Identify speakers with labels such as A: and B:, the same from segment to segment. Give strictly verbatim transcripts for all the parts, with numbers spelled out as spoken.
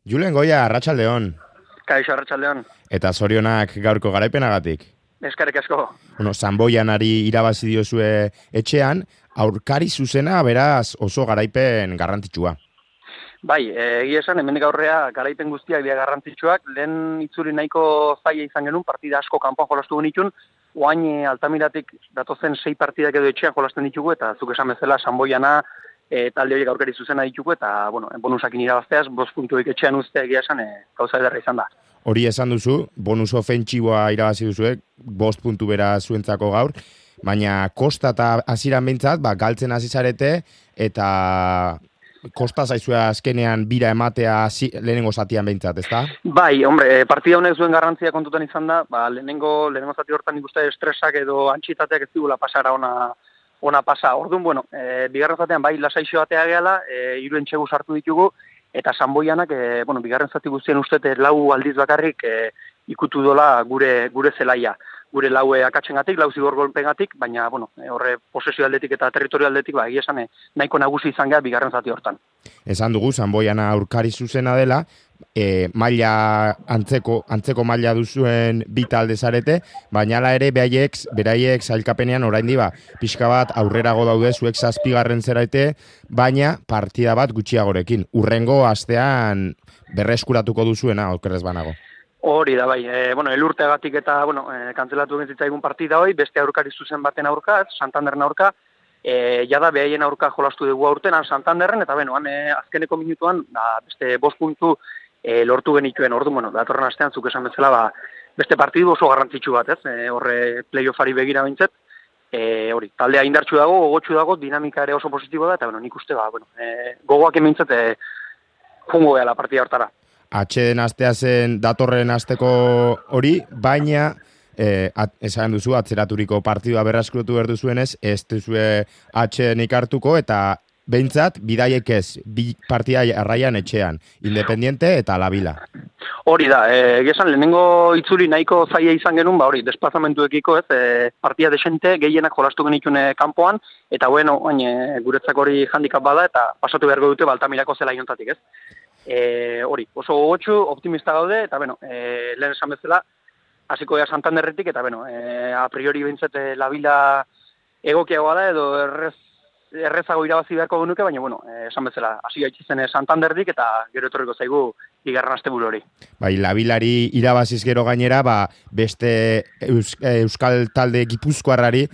A: Julen Goia, arratsaldeon.
B: Kaixo, arratsaldeon.
A: Eta zorionak gaurko garaipenagatik.
B: Eskerrik asko.
A: Bueno, Sanboianari irabazi diozue etxean, aurkari zuzena beraz oso garaipen garrantzitsua.
B: Bai, egia esan, hemendik aurrea garaipen guztiak dira garrantzitsuak, lehen itzuri nahiko zaila izan genuen, partida asko kanpoan jolastu genitun, oain Altamiratik datozen sei partidak edo etxean jolasten ditugu, eta zuk esan bezala Sanboiana e, talde horiek aurkari zuzena ditugu, eta bueno, bonusakin irabazteaz, bost puntuik etxean uste egia esan, e, gauza ederra izan da.
A: Hori esan duzu, bonus ofentsiboa irabazi duzuek, bost puntu bera zuentzako gaur, baina kosta eta hasieran behintzat, ba, galtzen hasi zarete, eta kosta zaizua azkenean bira ematea zi, lehenengo zatian behintzat, ezta?
B: Bai, hombre, partida honek zuen garrantzia kontutan izan da, ba, lehenengo, lehenengo zati hortan ikuste estresak edo antxitateak ez digula pasara ona, ona pasa. Orduan, bueno, e, bigarren zatean bai lasaixo batea gehala, e, hiru entxegu sartu ditugu, eta Sanboianak, e, bueno, bigarren zati guztien ustete lau aldiz bakarrik e, ikutu dola gure gure zelaia. Gure laue akatsengatik, lau zigor golpengatik, baina, bueno, e, horre posesio aldetik eta territorio aldetik, ba, egia esan, e, nahiko nagusi izan geha bigarren zati hortan.
A: Esan dugu, Sanboiana aurkari zuzena dela, e, maila antzeko, antzeko maila duzuen bi talde zarete, baina ala ere beraiek, beraiek sailkapenean oraindi ba, pixka bat aurrerago daude zuek zazpigarren zeraite, baina partida bat gutxiagorekin. Urrengo astean berreskuratuko duzuena, okerrez banago.
B: Hori da, bai. E, bueno, elurteagatik eta, bueno, e, kantzelatu gentzaigun partida hoi, beste aurkari zuzen baten aurka, Santanderren aurka, e, jada behaien aurka jolastu dugu aurten, Santanderren, eta beno, e, azkeneko minutuan, da, beste bost puntu e, lortu genituen, ordu, bueno, datorren astean, zuk esan bezala, ba, beste partidu oso garrantzitsu bat, ez? E, horre playoffari begira bintzet, e, hori, taldea indartsu dago, gogotsu dago, dinamika ere oso positibo da, eta, bueno, nik uste, ba, bueno, e, gogoak emintzet, e, jungo la partida hortara.
A: Atxeden astea zen datorren asteko hori, baina eh, at, esan duzu atzeraturiko partidua berraskurutu behar duzuenez, ez duzue atxedenik hartuko eta behintzat bidaiek ez, bi partida arraian etxean, Independiente eta La Vila.
B: Hori da, egizan e, lehenengo itzuli nahiko zaila izan genuen, ba hori, desplazamentuekiko ez, e, partida desente gehienak jolastu genitune kanpoan, eta bueno, oin, e, guretzak hori handikap bada, eta pasatu beharko dute Baltamirako zela inontatik ez. E, hori, oso gogotsu, optimista gaude, eta bueno, e, lehen esan bezala, hasiko ea Santanderretik, eta bueno, e, a priori bintzat e, La Vila egokiagoa da, edo errez, errezago irabazi beharko genuke, baina bueno, e, esan bezala, hasi gaitxizen Santanderdik, eta gero etorriko zaigu bigarren asteburu hori. Bai,
A: La Vilari irabaziz gero gainera, ba, beste Eus, Euskal talde Gipuzkoarrari,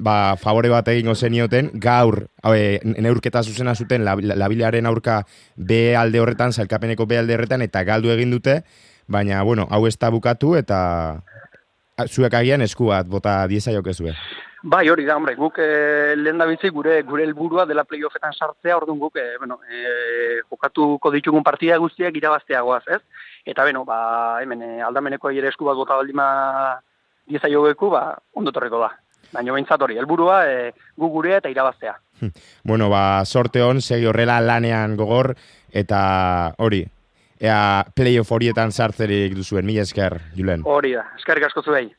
A: ba, favore bat egingo zenioten, gaur, e, neurketa zuzena zuten La, La, La Vilaren aurka B alde horretan, sailkapeneko B alde horretan, eta galdu egin dute, baina, bueno, hau ez da bukatu, eta zuek agian esku bat, bota diezaiokezue.
B: Bai, hori da, hombre, guk e, lehen da bitzik gure, gure helburua dela playoffetan sartzea, orduan guk, e, bueno, e, jokatuko ditugun partida guztiak irabazteagoaz, ez? Eta, beno, ba, hemen, e, aldameneko ere esku bat bota baldima diezaiogeku, ba, ondo torreko da. Baina behintzat hori, helburua e, gu gurea eta irabaztea.
A: Bueno, ba, sorte hon, segi horrela lanean gogor, eta hori, ea playoff horietan sartzerik duzuen, mila esker, Julen.
B: Hori da, eskerrik asko zuei.